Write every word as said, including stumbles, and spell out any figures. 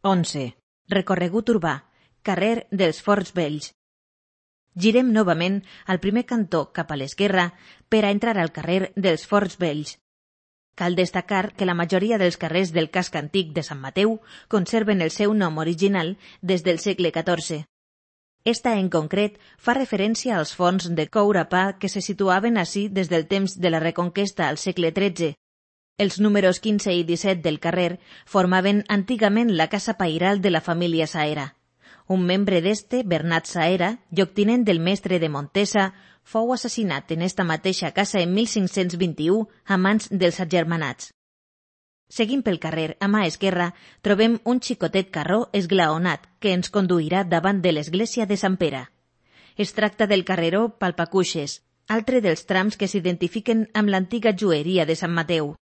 onze. Recorregut urbà. Carrer dels Forts Vells. Girem novament al primer cantó cap a l'esquerra per a entrar al carrer dels Forts Vells. Cal destacar que la majoria dels carrers del casc antic de Sant Mateu conserven el seu nom original des del segle catorze. Esta, en concret, fa referència als forns de coure pa que se situaven ací des del temps de la Reconquesta al segle tretze. Els números quinze i disset del carrer formaven antigament la casa pairal de la família Saera. Un membre d'este, Bernat Saera, lloctinent del mestre de Montesa, fou assassinat en esta mateixa casa en mil cinc-cents vint-i-u a mans dels agermanats. Seguint pel carrer, a mà esquerra, trobem un xicotet carró esglaonat que ens conduirà davant de l'església de Sant Pere. Es tracta del carreró Palpacuixes, altre dels trams que s'identifiquen amb l'antiga joieria de Sant Mateu.